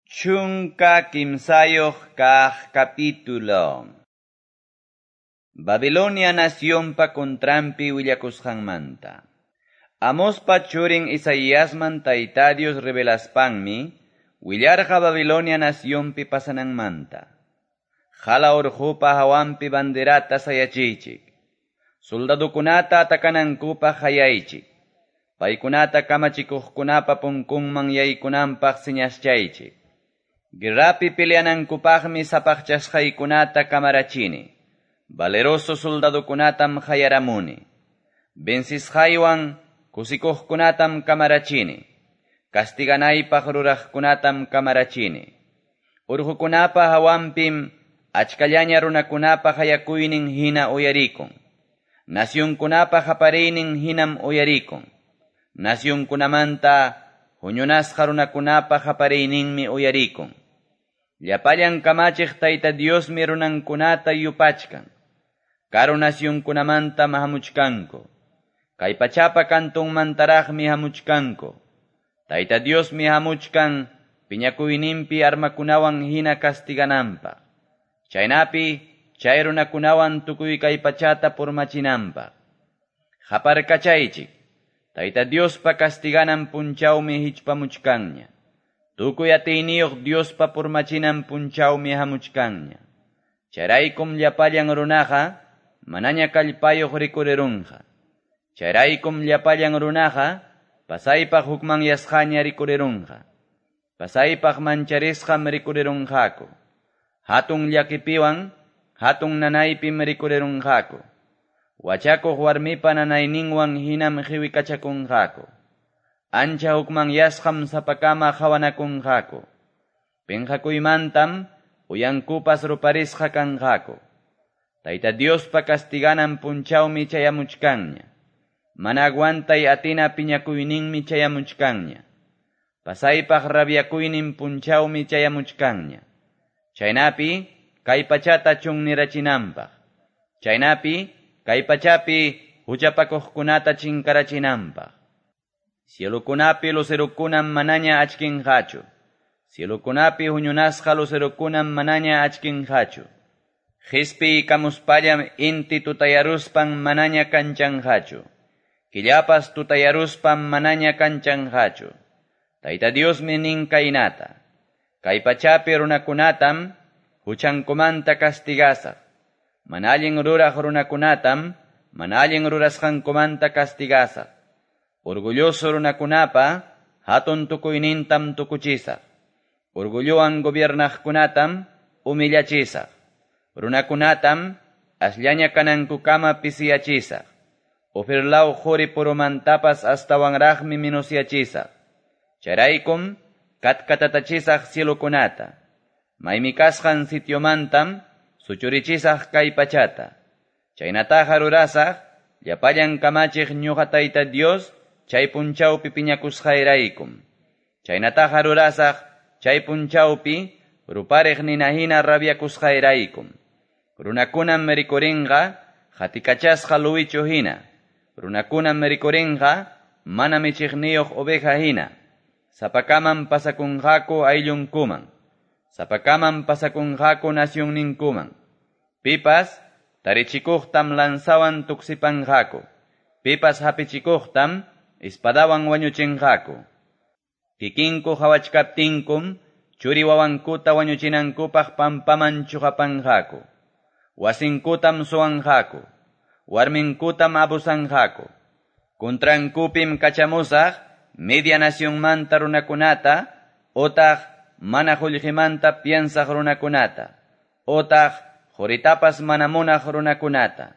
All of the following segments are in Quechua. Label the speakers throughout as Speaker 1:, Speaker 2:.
Speaker 1: 13 kaq capítulo. Babilonia nacionpa contranpi willakusqanmanta. Amospa churin Isaiasman Tayta Dios revelaspanmi, willarqa Babilonia nacionpi pasananmanta. Hala urqupa hawanpi banderata sayachiychik. Soldadukunata atakanankupaq hayaychik. Paykunata kamachikuqkunapa punkunman yaykunanpaq señaschaychik. Guerrapi peleanankupaqmi sapaqchasqaykunata kamarachini. Valeroso soldadukunatam hayaramuni. Vencisqaywan kusikuqkunatam kamarachini. Castiganaypaq ruraqkunatam kamarachini. Urqukunapa hawanpim achkallaña runakunapa hayakuynin hina uyarikun. Nacionkunapa hapariynin hinam uyarikun. Nacionkunamanta huñunasqa runakunapa hapariyninmi uyarikun. Llapallan kamachiq Tayta Diosmi runankunata yupachkan. Karu nacionkunamantam hamuchkanku. Kay pachapa kantunmantaraqmi hamuchkanku. Tayta Diosmi hamuchkan piñakuyninpi armakunawan hina castigananpaq. Chaynapi chay runakunawan tukuy kay pachata purmachinanpaq. Haparkachaychik. Tayta Diospa castiganan punchawmi hichpamuchkanña. Tukuy atiyniyuq Diospa purmachinan punchawmi hamuchkanña. Chayraykum llapallan runaqa manaña kallpayuq rikurirunqa. Chayraykum llapallan runaqa pasaypaq hukmanyasqaña rikurirunqa. Pasaypaq mancharisqam rikurirunqaku. Hatun llakipiwan hatun nanaypim rikurirunqaku. Wachakuq warmipa nanayninwan hinam qiwikachakunqaku. Ancha hukmanyasqam sapakama qhawanakunqaku. Pinqakuymantam uyankupas ruparisqa kanqaku. Tayta Diospa castiganan punchawmi chayamuchkanña. Mana aguantay atina piñakuyninmi chayamuchkanña. Pasaypaq rabiakuynin punchawmi chayamuchkanña. Chaynapi kay pachata chunnirachinanpaq. Chaynapi kay pachapi huchapakuqkunata chinkarachinanpaq. Cielukunapi lucerukunam manaña achkinqachu. Cielukunapi huñunasqa lucerukunam manaña achkinqachu. Qispiykamuspallam inti tutayaruspan manaña kanchanqachu. Killapas tutayaruspan manaña kanchanqachu. Tayta Diosmi nin kaynata. Kay pachapi runakunatam huchankumanta castigasaq. Mana allin ruraq runakunatam mana allin rurasqankumanta castigasaq. Orgulloso runakunapa hatun tukuynintam tukuchisaq. Orgullowan gobiernaqkunatam humillachisaq. Runakunatam asllaña kanankukama pisiyachisaq. Ofirlaw quri purumantapas astawanraqmi minusyachisaq. Chayraykum katkatatachisaq cielukunata. Maymi kasqan sitiomantam suchurichisaq kay pachata. Chaynataqa rurasaq llapallan kamachiq ñuqa Tayta Dios chay punchawpi piñakusqayraykum. Chaynataqa rurasaq chay punchawpi rupariq nina hina rabiakusqayraykum. Runakunam rikurinqa hatikachasqa luwichu hina. Runakunam rikurinqa mana michiqniyuq oveja hina. Sapakaman pasakunqaku ayllunkuman. Sapakaman pasakunqaku nacionninkuman. Pipas tarichikuqtam lanzawan tuksipanqaku. Pipas hapichikuqtam espadawan wañuchinqaku. Kikinku hawachkaptinkum churi wawankuta wañuchinankupaq pampaman chuqapanqaku. Wasinkutam suwanqaku. Warminkutam abusanqaku. Contrankupim kachamusaq media nacionmanta runakunata otaq mana qullqimanta piensaq runakunata otaq quritapas mana munaq runakunata.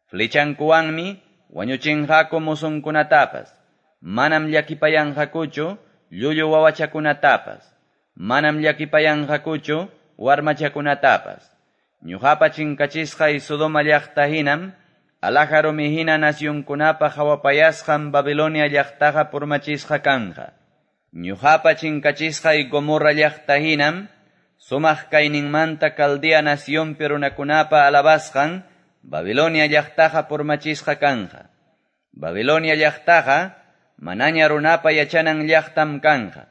Speaker 1: Flechankuwanmi wañuchinqaku musunkunatapas. Manam llakipayanqakuchu llullu wawachakunatapas. Manam llakipayanqakuchu warmachakunatapas. Ñuqapa chinkachisqay Sodoma llaqta hinam alhaja rumi hina nacionkunapa hawapayasqan Babilonia llaqtaqa purmachisqa kanqa. Ñuqapa chinkachisqay Gomorra llaqta hinam sumaq kayninmanta Caldea nacionpi runakunapa alabasqan Babilonia llaqtaqa purmachisqa kanqa. Babilonia llaqtaqa manaña runapa yachanan llaqtam kanqa.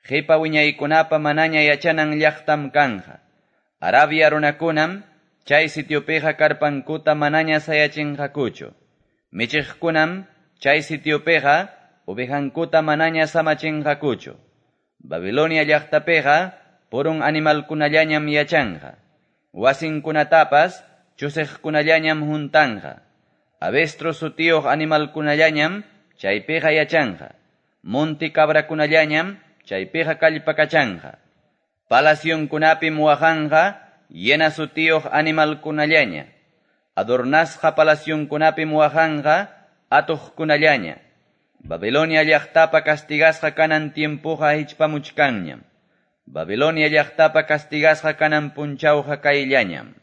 Speaker 1: Qipa wiñaykunapa manaña yachanan llaqtam kanqa. Arabia runakunam chay sitiopiqa karpankuta manaña sayachinqakuchu. Michiqkunam chay sitiopiqa ovejankuta manaña samachinqakuchu. Babilonia llaqtapiqa purun animalkunallañam yachanqa. Wasinkunatapas chusiqkunallañam huntanqa. Avestro sutiyuq animalkunallañam chaypiqa yachanqa. Monti cabrakunallañam chaypiqa kallpakachanqa. Palacionkunapim waqanqa llena sutiyuq animalkunallaña. Adornasqa palacionkunapim waqanqa atuqkunallaña. Babilonia llaqtapa castigasqa kanan tiempoqa hichpamuchkanñam. Babilonia llaqtapa castigasqa kanan punchawqa kayllañam.